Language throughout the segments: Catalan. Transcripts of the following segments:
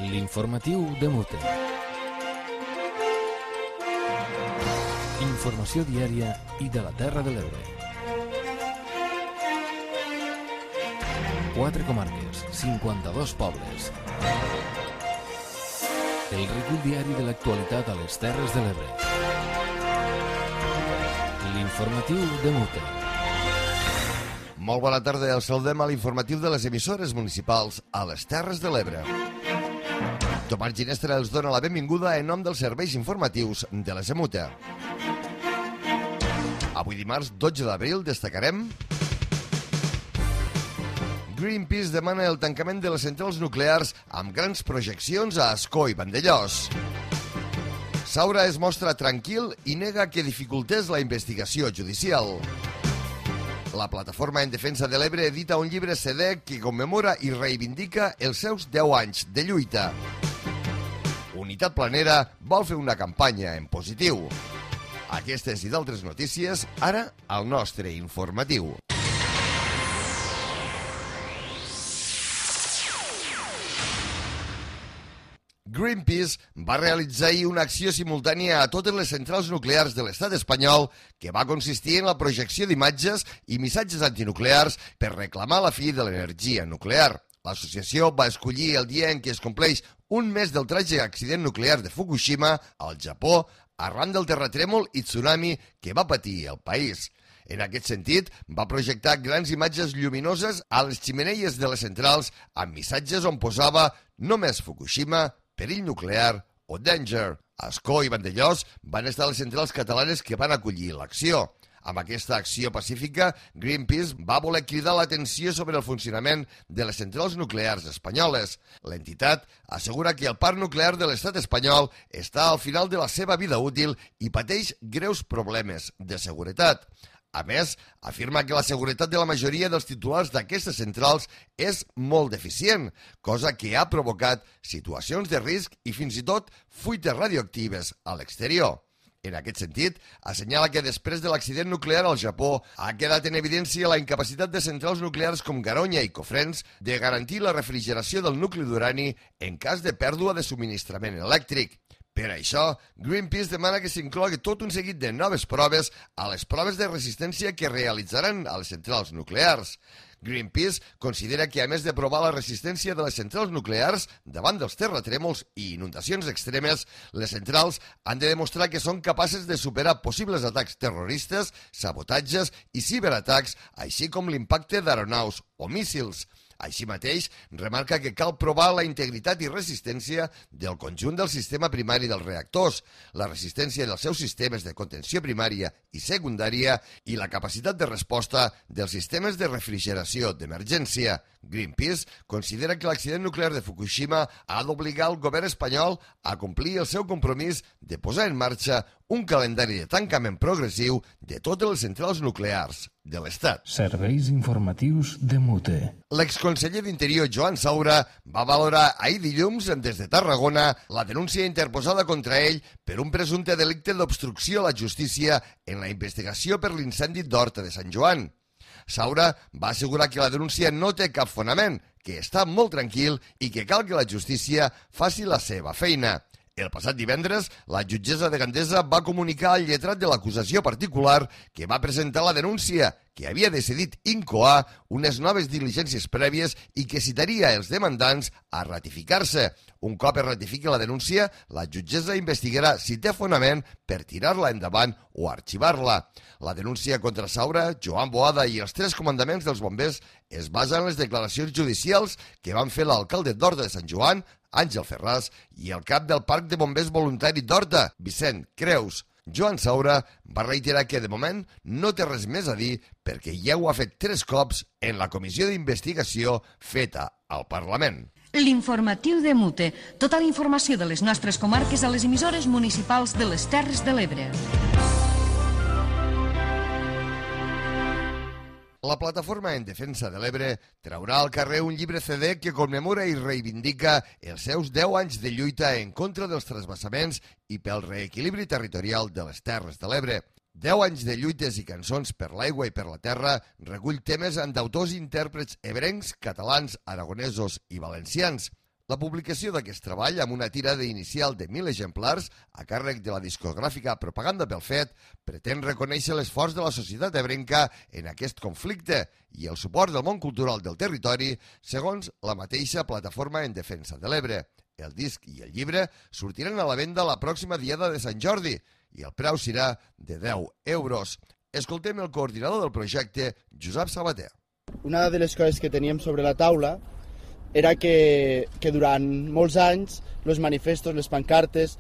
L'informatiu de Mute. Informació diària i de la Terra de l'Ebre. 4 comarques, 52 pobles. El recull diari de l'actualitat a les Terres de l'Ebre. L'informatiu de Mute. Molt bona tarda, els saludem a l'informatiu de les emissores municipals a les Terres de l'Ebre. Tomàs Ginestra els dona la benvinguda en nom dels serveis informatius de la Semuta. Avui dimarts 12 d'abril destacarem: Greenpeace demana el tancament de les centrals nuclears amb grans projeccions a Ascó i Vandellòs. Saura es mostra tranquil i nega que dificultés la investigació judicial. La Plataforma en Defensa de l'Ebre edita un llibre CD que commemora i reivindica els seus 10 anys de lluita. Unitat Planera vol fer una campanya en positiu. Aquestes i d'altres notícies, ara al nostre informatiu. Greenpeace va realitzar ahir una acció simultània a totes les centrals nuclears de l'estat espanyol que va consistir en la projecció d'imatges i missatges antinuclears per reclamar la fi de l'energia nuclear. L'associació va escollir el dia en què es compleix un mes del tràgic accident nuclear de Fukushima al Japó arran del terratrèmol i tsunami que va patir el país. En aquest sentit, va projectar grans imatges lluminoses a les xemeneies de les centrals amb missatges on posava "Només Fukushima", "Perill nuclear" o "Danger". Ascó i Vandellòs van estar les centrals catalanes que van acollir l'acció. Amb aquesta acció pacífica, Greenpeace va voler cridar l'atenció sobre el funcionament de les centrals nuclears espanyoles. L'entitat assegura que el parc nuclear de l'estat espanyol està al final de la seva vida útil i pateix greus problemes de seguretat. A més, afirma que la seguretat de la majoria dels titulars d'aquestes centrals és molt deficient, cosa que ha provocat situacions de risc i fins i tot fuites radioactives a l'exterior. En aquest sentit, assenyala que després de l'accident nuclear al Japó ha quedat en evidència la incapacitat de centrals nuclears com Garoña i Cofrents de garantir la refrigeració del nucli d'urani en cas de pèrdua de subministrament elèctric. Per això, Greenpeace demana que s'inclogui tot un seguit de noves proves a les proves de resistència que realitzaran a les centrals nuclears. Greenpeace considera que, a més de provar la resistència de les centrals nuclears davant dels terratrèmols i inundacions extremes, les centrals han de demostrar que són capaces de superar possibles atacs terroristes, sabotatges i ciberatacs, així com l'impacte d'aeronaus o míssils. Així mateix, remarca que cal provar la integritat i resistència del conjunt del sistema primari dels reactors, la resistència dels seus sistemes de contenció primària i secundària i la capacitat de resposta dels sistemes de refrigeració d'emergència. Greenpeace considera que l'accident nuclear de Fukushima ha d'obligar el govern espanyol a complir el seu compromís de posar en marxa un calendari de tancament progressiu de totes les centrals nuclears de l'Estat. Serveis informatius de Mute. L'exconseller d'Interior, Joan Saura, va valorar ahir dilluns des de Tarragona la denúncia interposada contra ell per un presumpte delicte d'obstrucció a la justícia en la investigació per l'incendi d'Horta de Sant Joan. Saura va assegurar que la denúncia no té cap fonament, que està molt tranquil i que cal que la justícia faci la seva feina. El passat divendres, la jutgessa de Gandesa va comunicar al lletrat de l'acusació particular que va presentar la denúncia, que havia decidit incoar unes noves diligències prèvies i que citaria els demandants a ratificar-se. Un cop es ratifiqui la denúncia, la jutgessa investigarà si té fonament per tirar-la endavant o arxivar-la. La denúncia contra Saura, Joan Boada i els 3 comandaments dels bombers es basa en les declaracions judicials que van fer l'alcalde d'Horta de Sant Joan, Àngel Ferràs, i el cap del Parc de Bombers Voluntari d'Horta, Vicent Creus. Joan Saura va reiterar que de moment no té res més a dir perquè ja ho ha fet 3 cops en la comissió d'investigació feta al Parlament. L'informatiu de Mute. Tota la informació de les nostres comarques a les emissores municipals de les Terres de l'Ebre. La Plataforma en Defensa de l'Ebre traurà al carrer un llibre CD que commemora i reivindica els seus 10 anys de lluita en contra dels transvasaments i pel reequilibri territorial de les Terres de l'Ebre. 10 anys de lluites i cançons per l'aigua i per la terra recull temes d'autors i intèrprets ebrencs, catalans, aragonesos i valencians. La publicació d'aquest treball, amb una tirada inicial de 1.000 exemplars, a càrrec de la discogràfica Propaganda pel Fet, pretén reconèixer l'esforç de la societat ebrenca en aquest conflicte i el suport del món cultural del territori, segons la mateixa Plataforma en Defensa de l'Ebre. El disc i el llibre sortiran a la venda la pròxima diada de Sant Jordi i el preu serà de 10 euros. Escoltem el coordinador del projecte, Josep Sabater. Una de les coses que teníem sobre la taula era que durant molts anys els manifestos, les pancartes,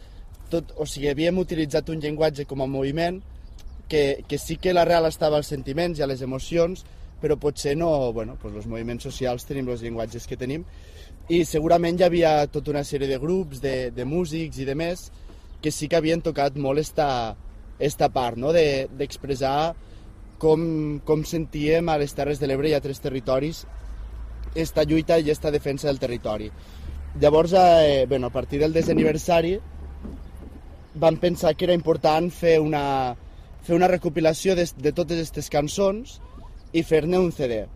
havíem utilitzat un llenguatge com a moviment que sí que l'arrel estava als sentiments i a les emocions, però potser no, els moviments socials tenim els llenguatges que tenim i segurament hi havia tota una sèrie de grups, de músics i de més que sí que havien tocat molt esta part, no? d'expressar com sentíem a les Terres de l'Ebre i a altres territoris esta lluita i esta defensa del territori. Llavors, a partir del 10è aniversari, vam pensar que era important fer una recopilació de totes aquestes cançons i fer-ne un CD.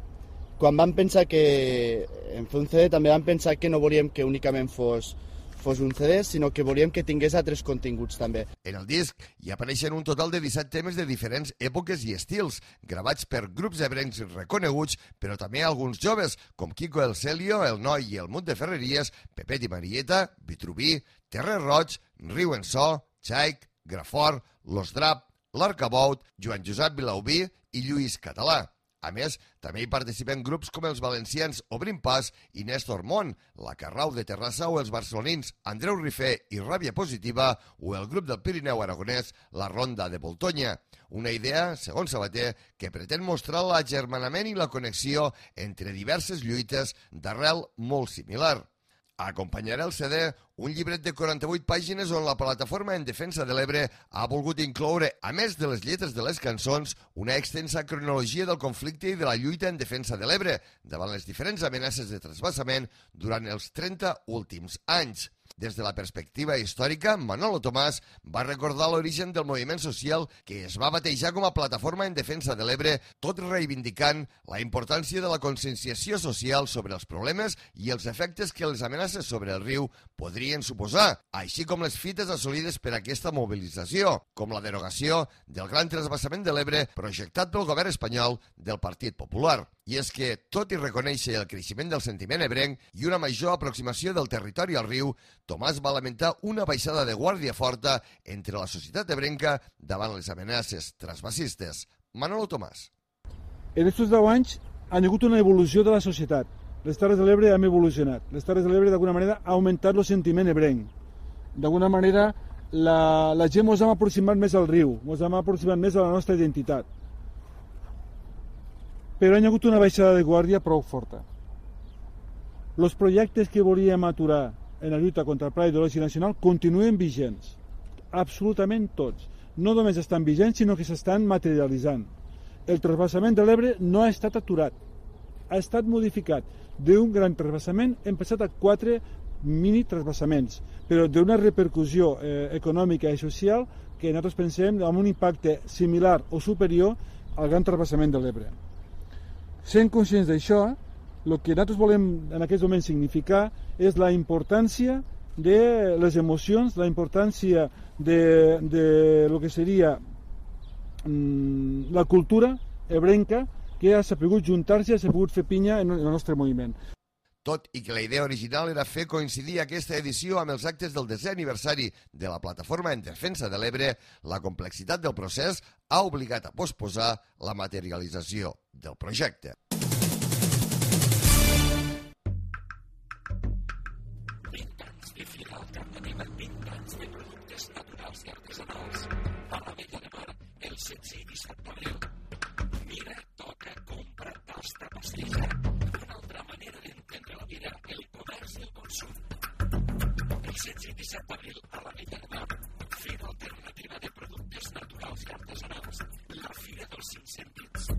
Quan vam pensar que en fer un CD, també vam pensar que no volíem que únicament fos un CD, sinó que volíem que tingués altres continguts també. En el disc hi apareixen un total de 17 temes de diferents èpoques i estils, gravats per grups ebrencs reconeguts, però també alguns joves, com Quico el Celio, el Noi i el Mut de Ferreries, Pepet i Marieta, Vitrubí, Terrer Roig, Riu en So, Xaic, Grafort, Los Drap, l'Arcabout, Joan Josep Vilaubí i Lluís Català. A més, també hi participen grups com els valencians Obrim Pas i Néstor Mont, la Carrau de Terrassa o els barcelonins Andreu Rifé i Ràbia Positiva o el grup del Pirineu Aragonès, la Ronda de Voltonya. Una idea, segons Sabater, que pretén mostrar l'agermanament i la connexió entre diverses lluites d'arrel molt similar. Acompanyarà el CD un llibret de 48 pàgines on la Plataforma en Defensa de l'Ebre ha volgut incloure, a més de les lletres de les cançons, una extensa cronologia del conflicte i de la lluita en defensa de l'Ebre davant les diferents amenaces de trasbassament durant els 30 últims anys. Des de la perspectiva històrica, Manolo Tomàs va recordar l'origen del moviment social que es va batejar com a Plataforma en Defensa de l'Ebre, tot reivindicant la importància de la conscienciació social sobre els problemes i els efectes que les amenaces sobre el riu podrien suposar, així com les fites assolides per aquesta mobilització, com la derogació del gran trasbassament de l'Ebre projectat pel govern espanyol del Partit Popular. I és que, tot i reconèixer el creixement del sentiment ebrenc i una major aproximació del territori al riu, Tomàs va lamentar una baixada de guàrdia forta entre la societat ebrenca davant les amenaces trasbassistes. Manolo Tomàs. En aquests 10 anys ha hagut una evolució de la societat. Les Terres de l'Ebre han evolucionat. Les Terres de l'Ebre, d'alguna manera, ha augmentat el sentiment ebrenc. D'alguna manera, la gent ens hem aproximat més al riu, ens hem aproximat més a la nostra identitat. Però hi ha hagut una baixada de guàrdia prou forta. Els projectes que volíem aturar en la lluita contra el Pla Hidrològic Nacional continuen vigents. Absolutament tots. No només estan vigents, sinó que s'estan materialitzant. El trasbassament de l'Ebre no ha estat aturat. Ha estat modificat. D'un gran trasbassament hem passat a 4 mini trasbassaments, però d'una repercussió econòmica i social que nosaltres pensem amb un impacte similar o superior al gran trasbassament de l'Ebre. Sent conscients d'això, el que nosaltres volem en aquest moment significar és la importància de les emocions, la importància de lo que seria la cultura ebrenca que ha sabut juntar-se, ha sabut fer pinya en el nostre moviment. Tot i que la idea original era fer coincidir aquesta edició amb els actes del 10è aniversari de la Plataforma en Defensa de l'Ebre, la complexitat del procés ha obligat a posposar la materialització del projecte. El 16 i 17 d'abril. Mira, toca, compra, tasta, pastilla. Una altra manera d'entendre la vida, el comerç i el consum. El 16 i 17 d'abril a la Vella de Mar, Fira Alternativa de Productes Naturals i Artesanals, la Fira dels 5 Sentits.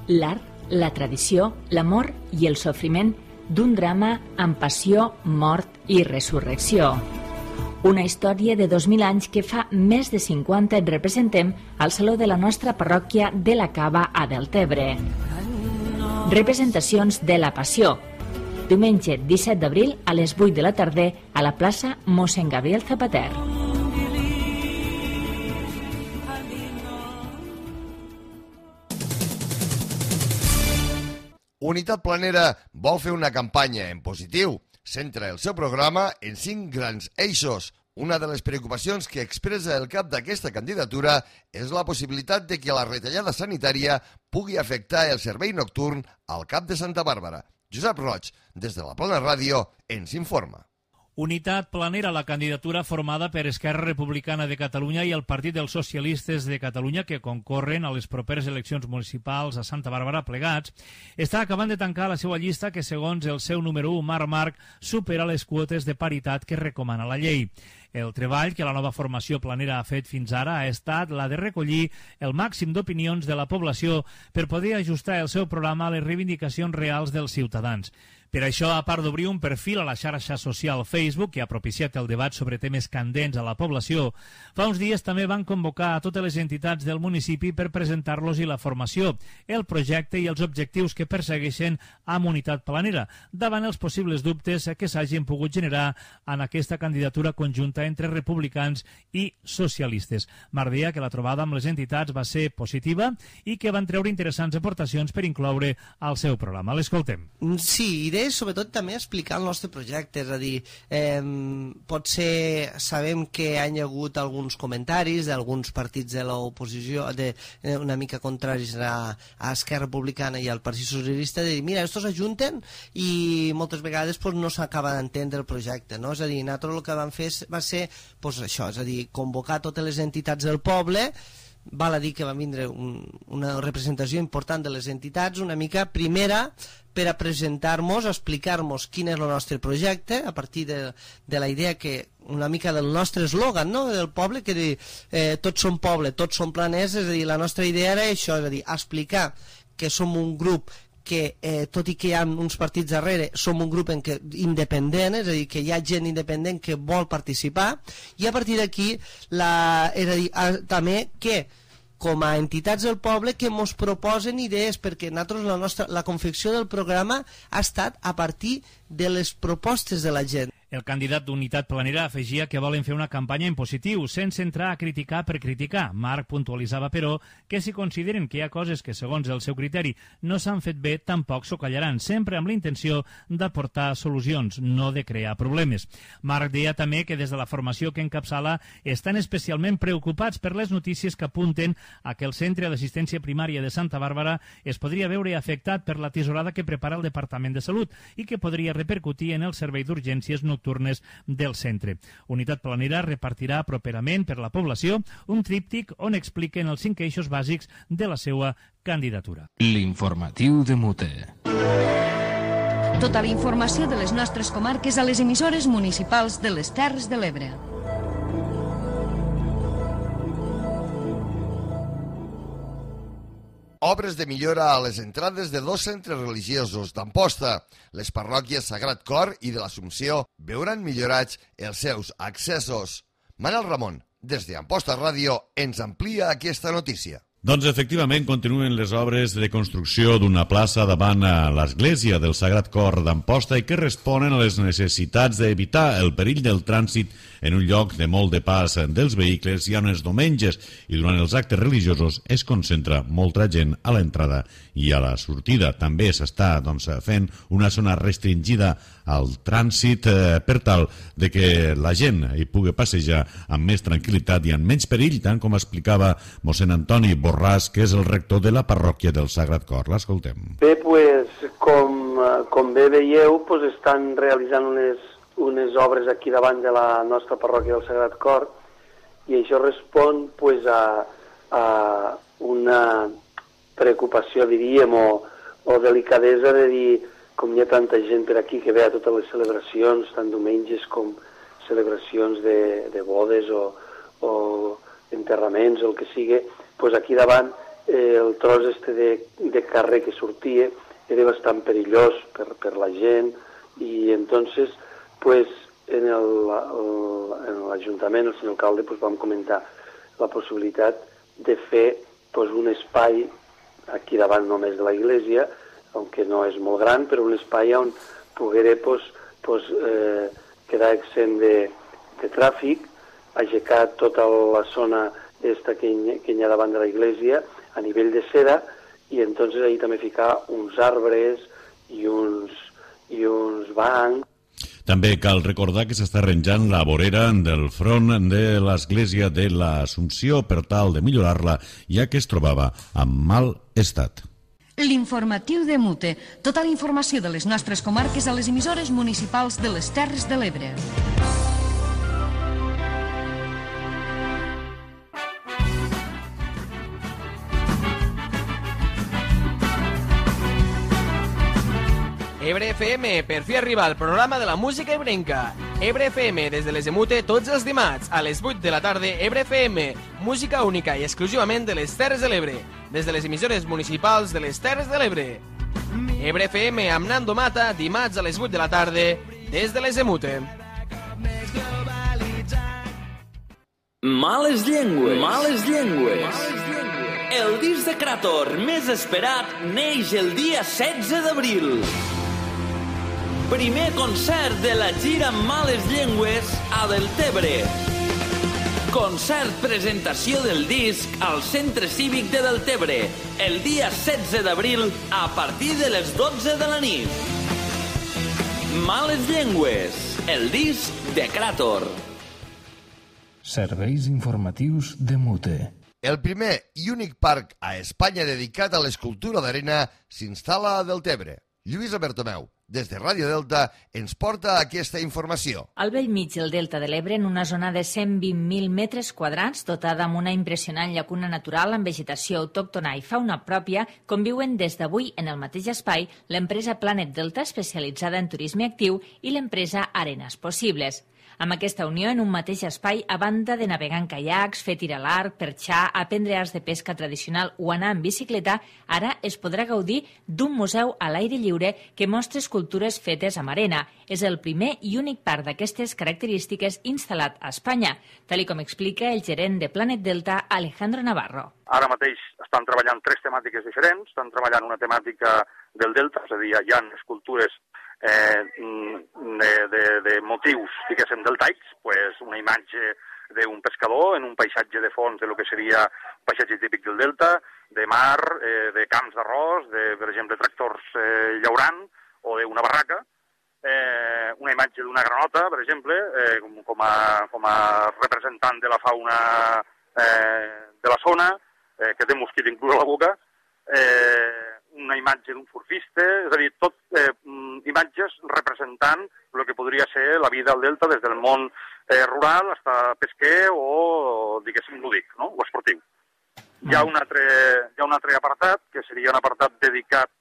L'art, la tradició, l'amor i el sofriment d'un drama amb passió, mort i resurrecció. Una història de 2.000 anys que fa més de 50 et representem al Saló de la nostra parròquia de la Cava a Deltebre. Representacions de la Passió. Diumenge 17 d'abril a les 8 de la tarda a la plaça Mossèn Gabriel Zapater. Unitat Planera vol fer una campanya en positiu. Centra el seu programa en 5 grans eixos. Una de les preocupacions que expressa el cap d'aquesta candidatura és la possibilitat de que la retallada sanitària pugui afectar el servei nocturn al Cap de Santa Bàrbara. Josep Roig, des de la Plana Ràdio, ens informa. Unitat Planera, la candidatura formada per Esquerra Republicana de Catalunya i el Partit dels Socialistes de Catalunya, que concorren a les properes eleccions municipals a Santa Bàrbara plegats, està acabant de tancar la seva llista que, segons el seu número 1, Marc Marc, supera les quotes de paritat que recomana la llei. El treball que la nova formació planera ha fet fins ara ha estat la de recollir el màxim d'opinions de la població per poder ajustar el seu programa a les reivindicacions reals dels ciutadans. Per això, a part d'obrir un perfil a la xarxa social Facebook, que ha propiciat el debat sobre temes candents a la població, fa uns dies també van convocar a totes les entitats del municipi per presentar-los i la formació, el projecte i els objectius que persegueixen amb Unitat Planera, davant els possibles dubtes que s'hagin pogut generar en aquesta candidatura conjunta entre republicans i socialistes. Marc deia que la trobada amb les entitats va ser positiva i que van treure interessants aportacions per incloure al seu programa. L'escoltem. Sí, idea sobretot també explicar el nostre projecte, és a dir, potser sabem que hi ha hagut alguns comentaris d'alguns partits de l'oposició una mica contraris a Esquerra Republicana i al Partit Socialista, de dir, mira, estos ajunten i moltes vegades no s'acaba d'entendre el projecte, no? És a dir, nosaltres el que vam fer va ser això, és a dir, convocar totes les entitats del poble. Val a dir que va vindre una representació important de les entitats, una mica primera, per a presentar-nos, explicar-nos quin és el nostre projecte, a partir de la idea que una mica del nostre eslògan, no?, del poble, que dir, tots som poble, tots som planers, és a dir, la nostra idea era això, és a dir, explicar que som un grup que, tot i que hi ha uns partits darrere, som un grup independent, és a dir, que hi ha gent independent que vol participar, i a partir d'aquí, és a dir, també que, com a entitats del poble, que ens proposen idees, perquè nosaltres, la confecció del programa ha estat a partir de les propostes de la gent. El candidat d'Unitat Planera afegia que volen fer una campanya en positiu, sense entrar a criticar per criticar. Marc puntualitzava, però, que si consideren que hi ha coses que, segons el seu criteri, no s'han fet bé, tampoc s'ho callaran, sempre amb la intenció d'aportar solucions, no de crear problemes. Marc deia també que des de la formació que encapçala estan especialment preocupats per les notícies que apunten a que el Centre d'Assistència Primària de Santa Bàrbara es podria veure afectat per la tisorada que prepara el Departament de Salut i que podria repercutir en el servei d'urgències nocturnes del centre. Unitat Planera repartirà properament per la població un tríptic on expliquen els 5 eixos bàsics de la seva candidatura. L'informatiu de Mute. Tota la informació de les nostres comarques a les emissores municipals de les Terres de l'Ebre. Obres de millora a les entrades de 2 centres religiosos d'Amposta. Les parròquies Sagrat Cor i de l'Assumpció veuran millorats els seus accessos. Manel Ramon, des d'Amposta Ràdio, ens amplia aquesta notícia. Doncs efectivament continuen les obres de construcció d'una plaça davant l'església del Sagrat Cor d'Amposta i que responen a les necessitats d'evitar el perill del trànsit en un lloc de molt de pas dels vehicles i on els diumenges i durant els actes religiosos es concentra molta gent a l'entrada i a la sortida. També s'està fent una zona restringida al trànsit per tal de que la gent hi pugui passejar amb més tranquil·litat i amb menys perill, tant com explicava mossèn Antoni Borràs, que és el rector de la parròquia del Sagrat Cor. L'escoltem. Bé, com bé veieu, estan realitzant unes obres aquí davant de la nostra parròquia del Sagrat Cor i això respon a una preocupació, diríem, o delicadesa de dir, com hi ha tanta gent per aquí que ve a totes les celebracions, tant diumenges com celebracions de bodes o enterraments o el que sigui, aquí davant el tros de carrer que sortia era bastant perillós per la gent, i entonces pues, en l'Ajuntament, el senyor alcalde, pues, vam comentar la possibilitat de fer pues, un espai aquí davant només de la iglesia, aunque no és molt gran, però un espai on pogueré quedar exempt de tràfic, aixecar tota la zona esta que hi ha davant de la iglesia a nivell de cera, i entonces ahí també ficar uns arbres i uns bancs. També cal recordar que s'està arranjant la vorera del front de l'església de l'Assumpció per tal de millorar-la, ja que es trobava en mal estat. L'informatiu de Mute. Tota la informació de les nostres comarques a les emissores municipals de les Terres de l'Ebre. Ebre FM, per fi arriba al programa de la música ebrenca. Ebre FM, des de les Emute, tots els dimarts, a les 8 de la tarda, Ebre FM, música única i exclusivament de les Terres de l'Ebre, des de les emissores municipals de les Terres de l'Ebre. Ebre FM amb Nando Mata, dimarts a les 8 de la tarda, des de les Emute. Males llengües. Males llengües. El disc de Krator més esperat neix el dia 16 d'abril. Primer concert de la gira Males Llengües a Deltebre. Concert presentació del disc al Centre Cívic de Deltebre el dia 16 d'abril a partir de les 12 de la nit. Males Llengües, el disc de Krator. Serveis informatius de Mute. El primer i únic parc a Espanya dedicat a l'escultura d'arena s'instal·la a Deltebre. Lluïsa Bertomeu, des de Ràdio Delta, ens porta aquesta informació. Al bell mig del Delta de l'Ebre, en una zona de 120.000 metres quadrats, dotada amb una impressionant llacuna natural amb vegetació autòctona i fauna pròpia, conviuen des d'avui en el mateix espai l'empresa Planet Delta, especialitzada en turisme actiu, i l'empresa Arenes Possibles. Amb aquesta unió, en un mateix espai, a banda de navegar en caiacs, fer tir a l'arc, perxar, aprendre arts de pesca tradicional o anar en bicicleta, ara es podrà gaudir d'un museu a l'aire lliure que mostra escultures fetes amb arena. És el primer i únic parc d'aquestes característiques instal·lat a Espanya, tal com explica el gerent de Planet Delta, Alejandro Navarro. Ara mateix estan treballant 3 temàtiques diferents. Estan treballant una temàtica del Delta, és a dir, hi ha escultures de motius, diguéssim, deltaics, pues una imatge d'un pescador en un paisatge de fons de lo que seria un paisatge típic del Delta, de mar, de camps d'arròs, per exemple, tractors llaurant o d'una barraca, una imatge d'una granota, per exemple, com a representant de la fauna de la zona, que té mosquit inclús a la boca, una imatge d'un surfista, és a dir, tot imatges representant el que podria ser la vida al Delta des del món rural fins a pesquer o, diguéssim, lúdic, no? O esportiu. Hi ha un altre apartat, que seria un apartat dedicat,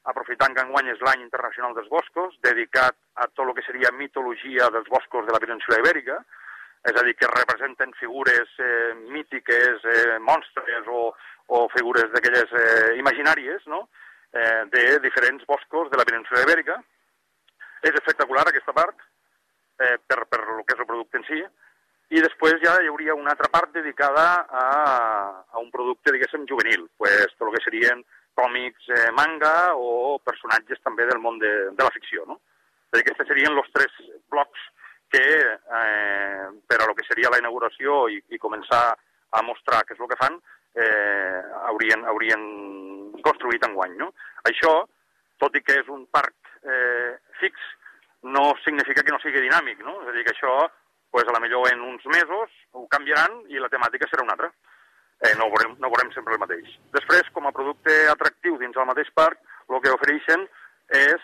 aprofitant que enguany és l'any internacional dels boscos, dedicat a tot el que seria mitologia dels boscos de la península Ibèrica, és a dir, que representen figures mítiques, monstres o figures d'aquelles imaginàries, no?, de diferents boscos de la península Ibèrica. És espectacular aquesta part, per el que és el producte en si, i després ja hi hauria una altra part dedicada a un producte, diguéssim, juvenil, pues, tot el que serien còmics, manga o personatges també del món de la ficció, no? És a dir, aquests serien els 3 blocs que per a lo que seria la inauguració i començar a mostrar què és el que fan, haurien construït enguany, no? Això, tot i que és un parc fix, no significa que no sigui dinàmic, no? És a dir, que això, pues, a la millor en uns mesos ho canviaran i la temàtica serà una altra. No veurem sempre el mateix. Després, com a producte atractiu dins del mateix parc, el que ofereixen és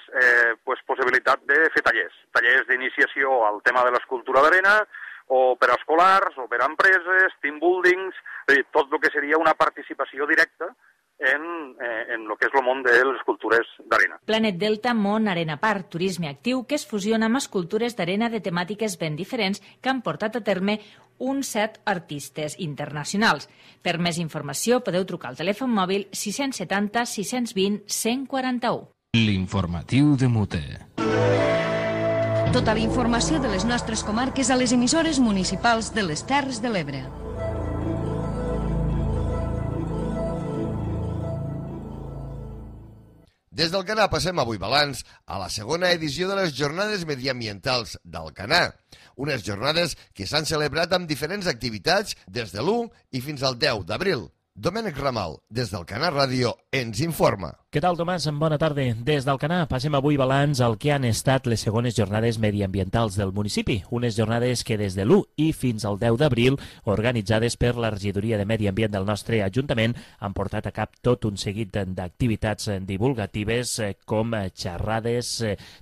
possibilitat de fer tallers d'iniciació al tema de l'escultura d'arena, o per a escolars, o per a empreses, team buildings, tot el que seria una participació directa en el que és el món de les escultures d'arena. Planet Delta Món Arena Park, turisme actiu que es fusiona amb escultures d'arena de temàtiques ben diferents que han portat a terme uns 7 artistes internacionals. Per més informació podeu trucar al telèfon mòbil 670 620 141. L'informatiu de Mute. Tota la informació de les nostres comarques a les emissores municipals de les Terres de l'Ebre. Des d'Alcanar passem avui balanç a la segona edició de les Jornades Mediambientals d'Alcanar. Unes jornades que s'han celebrat amb diferents activitats des de l'1 i fins al 10 d'abril. Domènec Ramal, des d'Alcanar Ràdio, ens informa. Què tal, Tomàs? Bona tarda. Des d'Alcanar passem avui balanç al que han estat les segones jornades mediambientals del municipi. Unes jornades que des de l'1 i fins al 10 d'abril, organitzades per la Regidoria de Medi Ambient del nostre Ajuntament, han portat a cap tot un seguit d'activitats divulgatives com xerrades,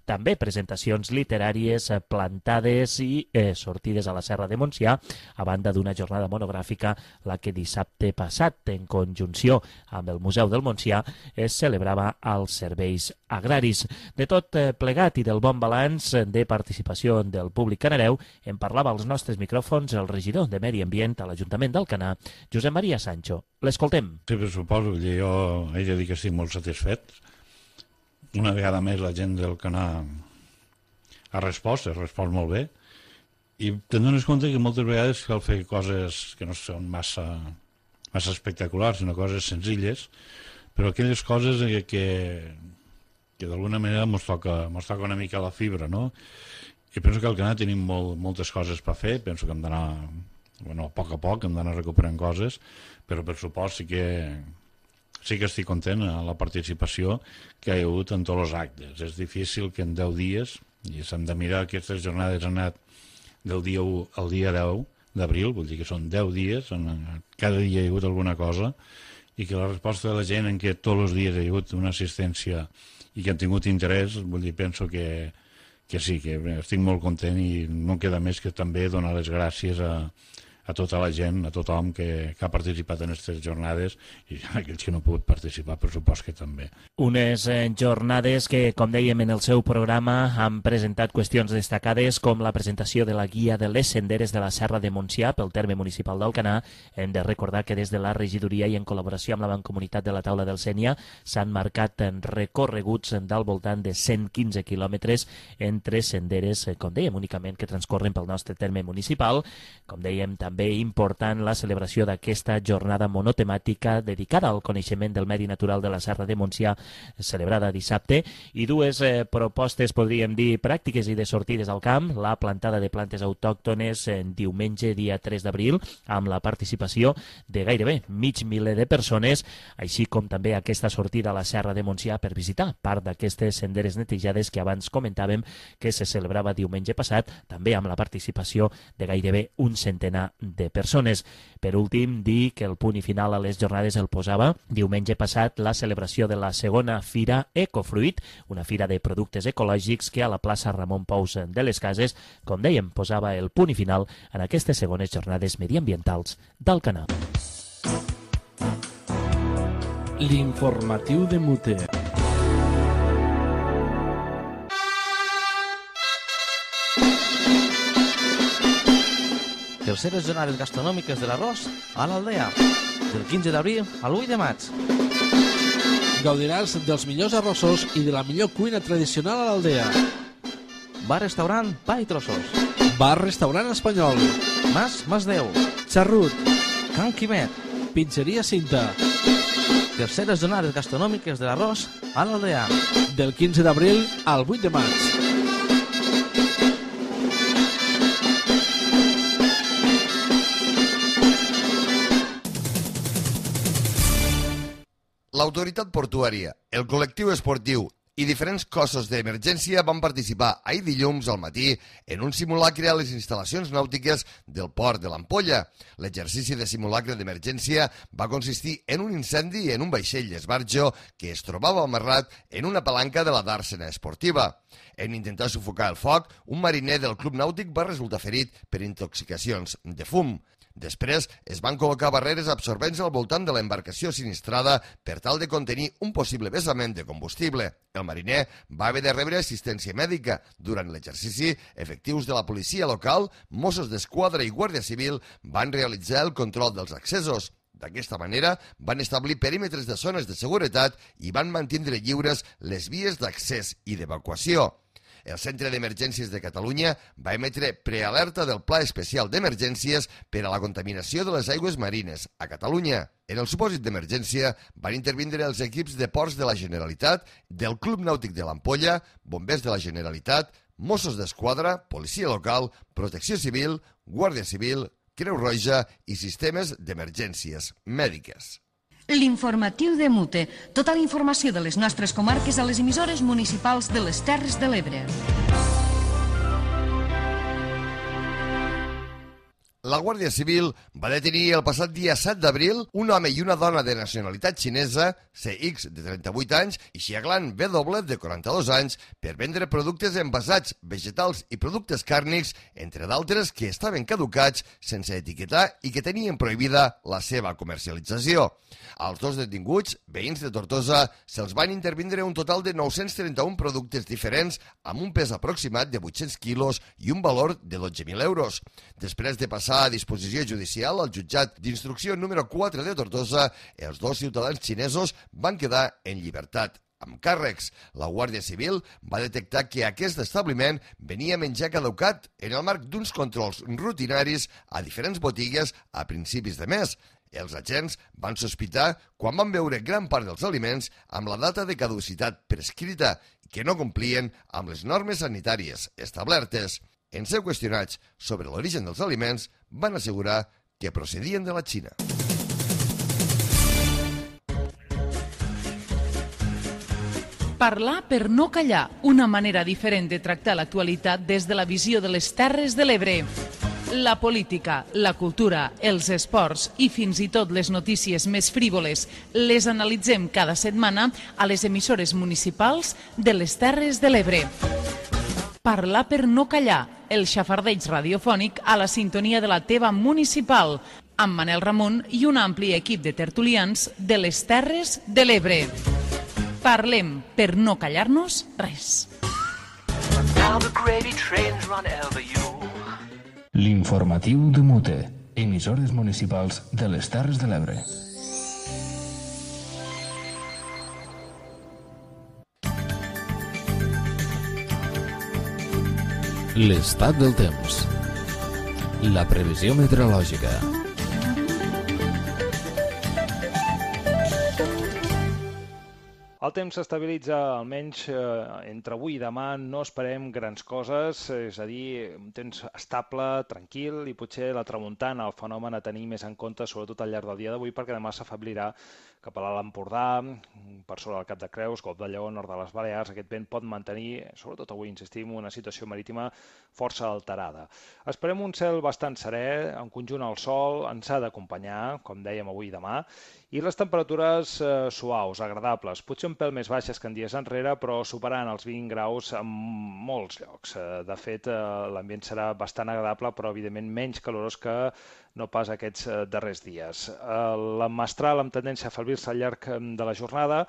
també presentacions literàries, plantades i sortides a la Serra de Montsià, a banda d'una jornada monogràfica, la que dissabte passat, en conjunció amb el Museu del Montsià, es celebrava als serveis agraris. De tot plegat i del bon balanç de participació del públic canareu, en parlava als nostres micròfons el regidor de Medi Ambient a l'Ajuntament d'Alcanar, Josep Maria Sancho. L'escoltem. Sí, per suposo, jo he de dir que estic molt satisfet. Una vegada més la gent d'Alcanar ha respost molt bé, i te'n dones compte que moltes vegades cal fer coses que no són massa espectaculars, sinó coses senzilles, però aquelles coses que d'alguna manera mos toca una mica la fibra, no? I penso que al Canà tenim moltes coses per fer, penso que hem d'anar, a poc a poc, hem d'anar recuperant coses, però per supost sí que estic content amb la participació que hi ha hagut en tots els actes. És difícil que en 10 dies, i s'han de mirar, aquestes jornades han anat del dia 1 al dia 10 d'abril, vull dir que són 10 dies, cada dia hi ha hagut alguna cosa, i que la resposta de la gent en què tots els dies hi ha hagut una assistència i que han tingut interès, vull dir, penso que sí, que estic molt content i no queda més que també donar les gràcies a tota la gent, a tothom que ha participat en aquestes jornades i aquells que no han pogut participar, per supost que també. Unes jornades que, com dèiem en el seu programa, han presentat qüestions destacades com la presentació de la guia de les senderes de la Serra de Montsià pel terme municipal d'Alcanar. Hem de recordar que des de la regidoria i en col·laboració amb la Mancomunitat de la Taula del Sénia s'han marcat recorreguts del voltant de 115 quilòmetres entre senderes, com dèiem, únicament que transcorren pel nostre terme municipal. Com dèiem, també important la celebració d'aquesta jornada monotemàtica dedicada al coneixement del medi natural de la Serra de Montsià, celebrada dissabte, i dues propostes, podríem dir, pràctiques i de sortides al camp: la plantada de plantes autòctones diumenge, dia 3 d'abril, amb la participació de gairebé mig miler de persones, així com també aquesta sortida a la Serra de Montsià per visitar part d'aquestes senderes netejades que abans comentàvem que se celebrava diumenge passat, també amb la participació de gairebé un centenar de persones. Per últim, dir que el punt i final a les jornades el posava diumenge passat la celebració de la segona Fira Ecofruit, una fira de productes ecològics que a la plaça Ramon Pous de les Cases, com dèiem, posava el punt i final en aquestes segones jornades mediambientals d'Alcanar. L'informatiu de Mute. Terceres jornades gastronòmiques de l'arròs a l'Aldea, del 15 d'abril al 8 de maig. Gaudiràs dels millors arrossos i de la millor cuina tradicional a l'Aldea. Bar-restaurant Pa i Trossos. Bar-restaurant espanyol. Mas Déu. Xarrut. Can Quimet. Pizzeria Cinta. Terceres jornades gastronòmiques de l'arròs a l'Aldea, del 15 d'abril al 8 de maig. L'autoritat portuària, el col·lectiu esportiu i diferents cossos d'emergència van participar ahir dilluns al matí en un simulacre a les instal·lacions nàutiques del port de l'Ampolla. L'exercici de simulacre d'emergència va consistir en un incendi en un vaixell d'esbarjo que es trobava amarrat en una palanca de la dàrsena esportiva. En intentar sufocar el foc, un mariner del club nàutic va resultar ferit per intoxicacions de fum. Després es van col·locar barreres absorbents al voltant de l'embarcació sinistrada per tal de contenir un possible vessament de combustible. El mariner va haver de rebre assistència mèdica. Durant l'exercici, efectius de la policia local, Mossos d'Esquadra i Guàrdia Civil van realitzar el control dels accessos. D'aquesta manera, van establir perímetres de zones de seguretat i van mantindre lliures les vies d'accés i d'evacuació. El Centre d'Emergències de Catalunya va emetre prealerta del Pla Especial d'Emergències per a la contaminació de les aigües marines a Catalunya. En el supòsit d'emergència van intervindre els equips de ports de la Generalitat, del Club Nàutic de l'Ampolla, bombers de la Generalitat, Mossos d'Esquadra, policia local, protecció civil, Guàrdia Civil, Creu Roja i sistemes d'emergències mèdiques. L'informatiu de Mute. Tota la informació de les nostres comarques a les emissores municipals de les Terres de l'Ebre. La Guàrdia Civil va detenir el passat dia 7 d'abril un home i una dona de nacionalitat xinesa, CX, de 38 anys, i Xiaglan W, de 42 anys, per vendre productes envasats, vegetals i productes càrnics, entre d'altres que estaven caducats, sense etiquetar i que tenien prohibida la seva comercialització. Als dos detinguts, veïns de Tortosa, se'ls van intervindre un total de 931 productes diferents amb un pes aproximat de 800 quilos i un valor de 12.000 euros. Després de passar a disposició judicial al jutjat d'instrucció número 4 de Tortosa, els dos ciutadans xinesos van quedar en llibertat amb càrrecs. La Guàrdia Civil va detectar que aquest establiment venia menjar caducat en el marc d'uns controls rutinaris a diferents botigues a principis de mes. Els agents van sospitar quan van veure gran part dels aliments amb la data de caducitat prescrita i que no complien amb les normes sanitàries establertes. En ser qüestionats sobre l'origen dels aliments, van assegurar que procedien de la Xina. Parlar per no callar, una manera diferent de tractar l'actualitat des de la visió de les Terres de l'Ebre. La política, la cultura, els esports i fins i tot les notícies més frívoles les analitzem cada setmana a les emissores municipals de les Terres de l'Ebre. Parlar per no callar, el xafardeig radiofònic a la sintonia de la teva municipal, amb Manel Ramon i un ampli equip de tertulians de les Terres de l'Ebre. Parlem per no callar-nos res. L'informatiu de Mute, emissores municipals de les Terres de l'Ebre. L'estat del temps. La previsió meteorològica. El temps s'estabilitza almenys entre avui i demà, no esperem grans coses, és a dir, un temps estable, tranquil, i potser la tramuntana, el fenomen a tenir més en compte, sobretot al llarg del dia d'avui, perquè demà s'afeblirà cap a l'Alt Empordà, per sobre del Cap de Creus, Golf de Lleó, nord de les Balears. Aquest vent pot mantenir, sobretot avui, insistim, una situació marítima força alterada. Esperem un cel bastant serè, en conjunt el sol ens ha d'acompanyar, com dèiem avui i demà, i les temperatures suaus, agradables, potser un pèl més baixes que en dies enrere, però superant els 20 graus en molts llocs. De fet, l'ambient serà bastant agradable, però evidentment menys calorós que no pas aquests darrers dies. La mestral amb tendència a afeblir-se al llarg de la jornada,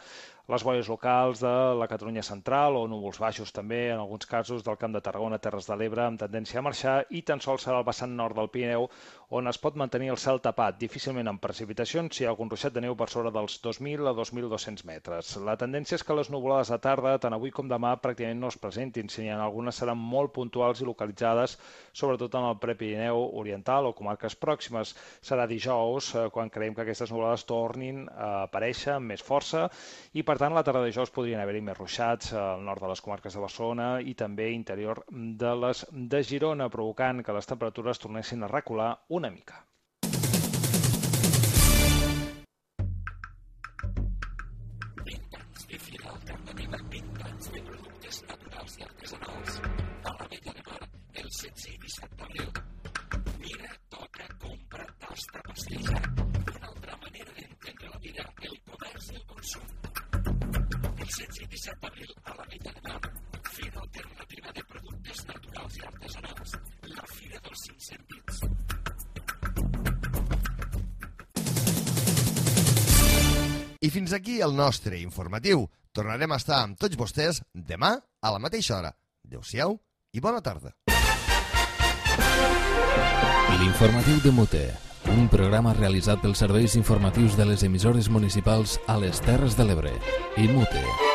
les boires locals de la Catalunya central o núvols baixos també, en alguns casos del Camp de Tarragona, Terres de l'Ebre, amb tendència a marxar, i tan sols serà el vessant nord del Pirineu on es pot mantenir el cel tapat, difícilment amb precipitacions, si hi ha algun ruixat de neu per sobre dels 2.000 a 2.200 metres. La tendència és que les nuvolades de tarda, tant avui com demà, pràcticament no es presentin, si n'hi ha algunes seran molt puntuals i localitzades, sobretot en el Prepirineu oriental o comarques pròximes. Serà dijous quan creiem que aquestes nuvolades tornin a aparèixer amb més força i, per tant, la tarda de dijous podrien haver-hi més ruixats al nord de les comarques de Barcelona i també interior de les de Girona, provocant que les temperatures tornessin a recular una mica. El 16 i 17 d'abril. Mira, toca, compra, tasta, pastilla. Una altra manera d'entendre la vida, el comerç i el consum. El 16 i 17 d'abril a la Vella de Mar, Fira Alternativa de Productes Naturals i Artesanals, la Fira dels 5 Sentits. I fins aquí el nostre informatiu. Tornarem a estar amb tots vostès demà a la mateixa hora. Adéu-siau i bona tarda. L'informatiu de Mute, un programa realitzat pels serveis informatius de les emissores municipals a les Terres de l'Ebre. IMUTE.